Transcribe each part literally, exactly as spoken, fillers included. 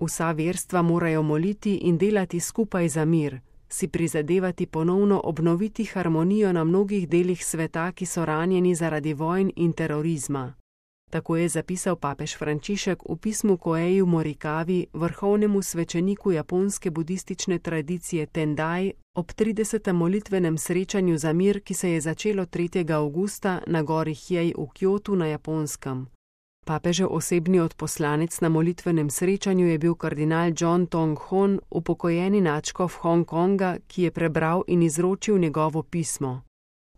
Vsa verstva morajo moliti in delati skupaj za mir, si prizadevati ponovno obnoviti harmonijo na mnogih delih sveta, ki so ranjeni zaradi vojn in terorizma. Tako je zapisal papež Frančišek v pismu Koeju Morikavi, vrhovnemu svečeniku japonske budistične tradicije Tendai, ob tridesetem molitvenem srečanju za mir, ki se je začelo tretjega avgusta na gori Hjej v Kjotu na Japonskem. Papežev osebni odposlanec na molitvenem srečanju je bil kardinal John Tong Hon, upokojeni nadškof Hongkonga, ki je prebral in izročil njegovo pismo.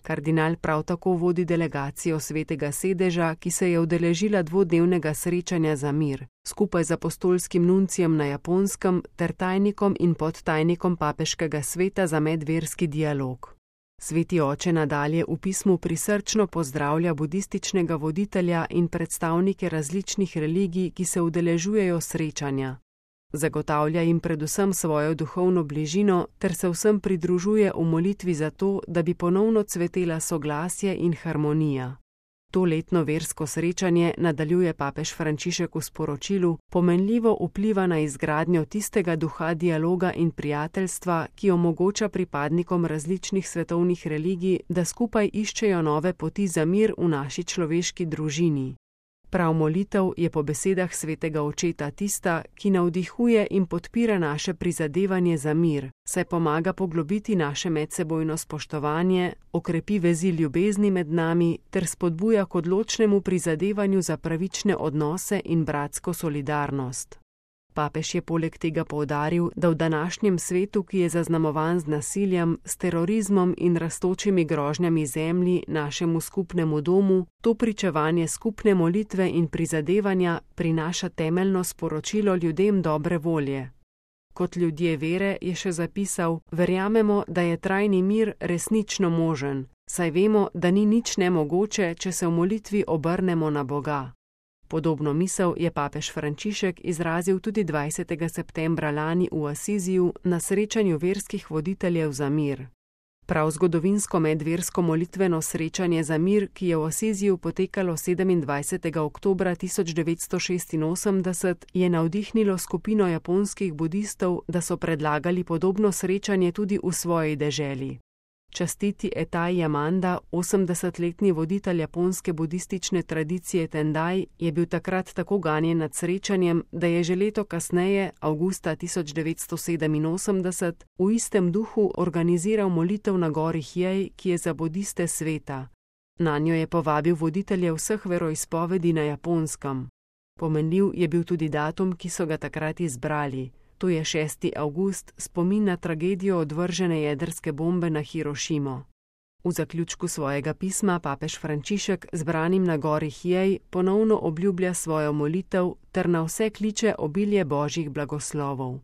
Kardinal prav tako vodi delegacijo Svetega sedeža, ki se je udeležila dvodnevnega srečanja za mir, skupaj z apostolskim nuncijem na Japonskem ter tajnikom in podtajnikom papeškega sveta za medverski dialog. Sveti oče nadalje v pismu prisrčno pozdravlja budističnega voditelja in predstavnike različnih religij, ki se udeležujejo srečanja. Zagotavlja jim predvsem svojo duhovno bližino ter se vsem pridružuje v molitvi za to, da bi ponovno cvetela soglasje in harmonija. To letno versko srečanje, nadaljuje papež Frančišek v sporočilu, pomenljivo vpliva na izgradnjo tistega duha dialoga in prijateljstva, ki omogoča pripadnikom različnih svetovnih religij, da skupaj iščejo nove poti za mir v naši človeški družini. Prav molitev je po besedah svetega očeta tista, ki navdihuje in podpira naše prizadevanje za mir, saj pomaga poglobiti naše medsebojno spoštovanje, okrepi vezi ljubezni med nami ter spodbuja k odločnemu prizadevanju za pravične odnose in bratsko solidarnost. Papež je poleg tega poudaril, da v današnjem svetu, ki je zaznamovan z nasiljem, s terorizmom in rastočimi grožnjami zemlji, našemu skupnemu domu, to pričevanje skupne molitve in prizadevanja prinaša temeljno sporočilo ljudem dobre volje. Kot ljudje vere, je še zapisal, verjamemo, da je trajni mir resnično možen, saj vemo, da ni nič nemogoče, če se v molitvi obrnemo na Boga. Podobno misel je papež Frančišek izrazil tudi dvajsetega septembra lani v Asiziju na srečanju verskih voditeljev za mir. Prav zgodovinsko medversko molitveno srečanje za mir, ki je v Asiziju potekalo sedemindvajsetega oktobra tisoč devetsto šestinosemdeset, je navdihnilo skupino japonskih budistov, da so predlagali podobno srečanje tudi v svoji deželi. Častiti Etai Yamanda, osemdesetletni voditelj japonske budistične tradicije Tendai, je bil takrat tako ganjen nad srečanjem, da je že leto kasneje, avgusta tisoč devetsto sedeminosemdeset, v istem duhu organiziral molitev na gori Hjej, ki je za budiste sveta. Nanjo je povabil voditelje vseh veroizpovedi na Japonskem. Pomenljiv je bil tudi datum, ki so ga takrat izbrali. To je šesti avgust, spomin na tragedijo odvržene jedrske bombe na Hirošimo. V zaključku svojega pisma papež Frančišek zbranim na gori Hjej ponovno obljublja svojo molitev ter na vse kliče obilje božjih blagoslovov.